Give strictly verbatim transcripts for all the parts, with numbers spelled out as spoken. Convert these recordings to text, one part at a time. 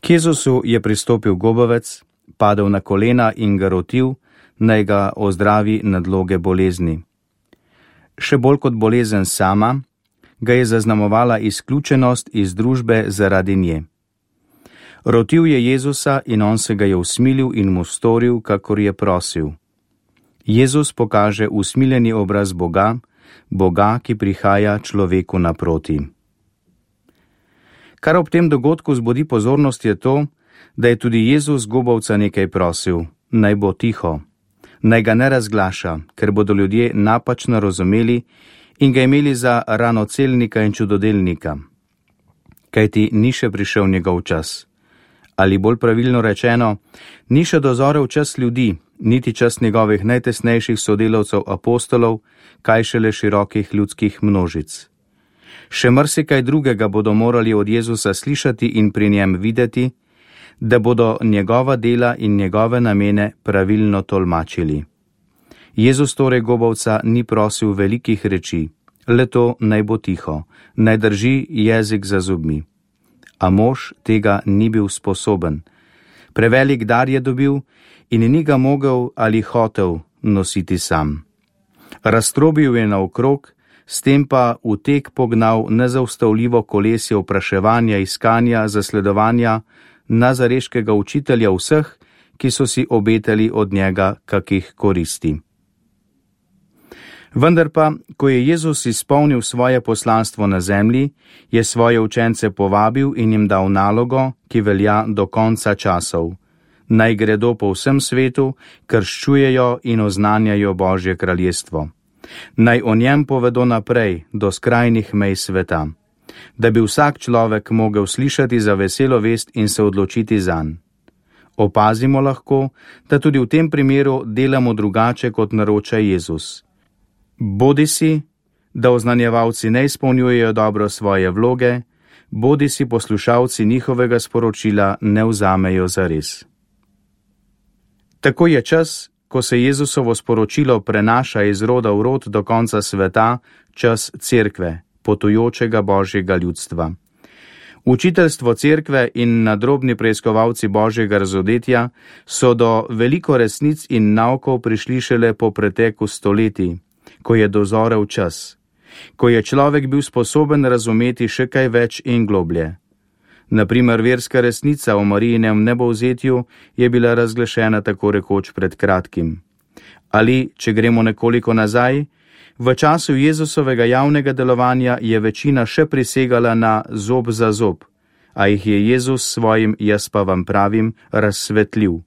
K Jezusu je pristopil gobavec, padel na kolena in ga rotil, naj ga ozdravi nadloge bolezni. Še bolj kot bolezen sama, ga je zaznamovala izključenost iz družbe zaradi nje. Rotil je Jezusa in on se ga je usmilil in mu storil, kakor je prosil. Jezus pokaže usmiljeni obraz Boga, Boga, ki prihaja človeku naproti. Kar ob tem dogodku zbudi pozornost je to, da je tudi Jezus gobavca nekaj prosil, naj bo tiho, naj ga ne razglaša, ker bodo ljudje napačno razumeli in ga imeli za ranocelnika in čudodelnika. Kajti ni še prišel njegov čas. Ali bolj pravilno rečeno, ni še dozorel čas ljudi, niti čas njegovih najtesnejših sodelavcev apostolov, kaj šele širokih ljudskih množic. Še marsikaj drugega bodo morali od Jezusa slišati in pri njem videti, da bodo njegova dela in njegove namene pravilno tolmačili. Jezus torej gobavca ni prosil velikih reči, le to naj bo tiho, naj drži jezik za zobmi. A mož tega ni bil sposoben. Prevelik dar je dobil in ni ga mogel ali hotel nositi sam. Raztrobil je naokrog, s tem pa v tek pognal nezaustavljivo kolesje vpraševanja, iskanja, zasledovanja nazareškega učitelja vseh, ki so si obetali od njega kakih koristi. Vendar pa, ko je Jezus izpolnil svoje poslanstvo na zemlji, je svoje učence povabil in jim dal nalogo, ki velja do konca časov. Naj gredo po vsem svetu, krščujejo in oznanjajo Božje kraljestvo. Naj o njem povedo naprej do skrajnih mej sveta, da bi vsak človek mogel slišati za veselo vest in se odločiti zanj. Opazimo lahko, da tudi v tem primeru delamo drugače, kot naroča Jezus. Bodisi, da oznanjevalci ne izpolnjujejo dobro svoje vloge, bodisi poslušalci njihovega sporočila ne vzamejo zares. Tako je čas, ko se Jezusovo sporočilo prenaša iz roda v rod do konca sveta, čas cerkve, potujočega Božjega ljudstva. Učiteljstvo cerkve in nadrobni preiskovalci Božjega razodetja so do veliko resnic in naukov prišli šele po preteku stoletij, ko je dozorel čas, ko je človek bil sposoben razumeti še kaj več in globlje. Naprimer, verska resnica o Marijinem nebovzetju je bila razglašena tako rekoč pred kratkim. Ali, če gremo nekoliko nazaj, v času Jezusovega javnega delovanja je večina še prisegala na zob za zob, a jih je Jezus svojim, jaz pa vam pravim, razsvetljiv.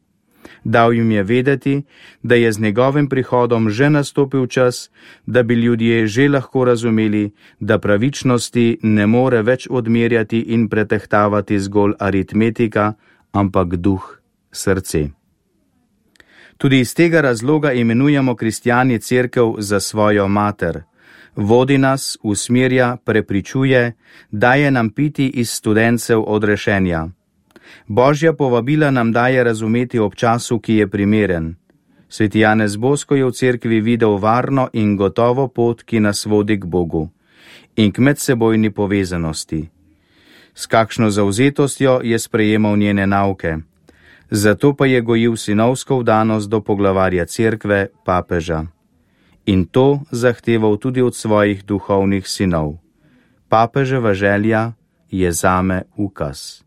Dal jim je vedeti, da je z njegovim prihodom že nastopil čas, da bi ljudje že lahko razumeli, da pravičnosti ne more več odmerjati in pretehtavati zgolj aritmetika, ampak duh, srce. Tudi iz tega razloga imenujemo kristjani cerkev za svojo mater. Vodi nas, usmerja, prepričuje, daje nam piti iz studencev odrešenja. Božja povabila nam daje razumeti ob času, ki je primeren. Sveti Janez Bosko je v cerkvi videl varno in gotovo pot, ki nas vodi k Bogu in k medsebojni povezanosti. S kakšno zavzetostjo je sprejemal njene nauke. Zato pa je gojil sinovsko vdanost do poglavarja cerkve, papeža. In to zahteval tudi od svojih duhovnih sinov. Papeževa želja je zame ukaz.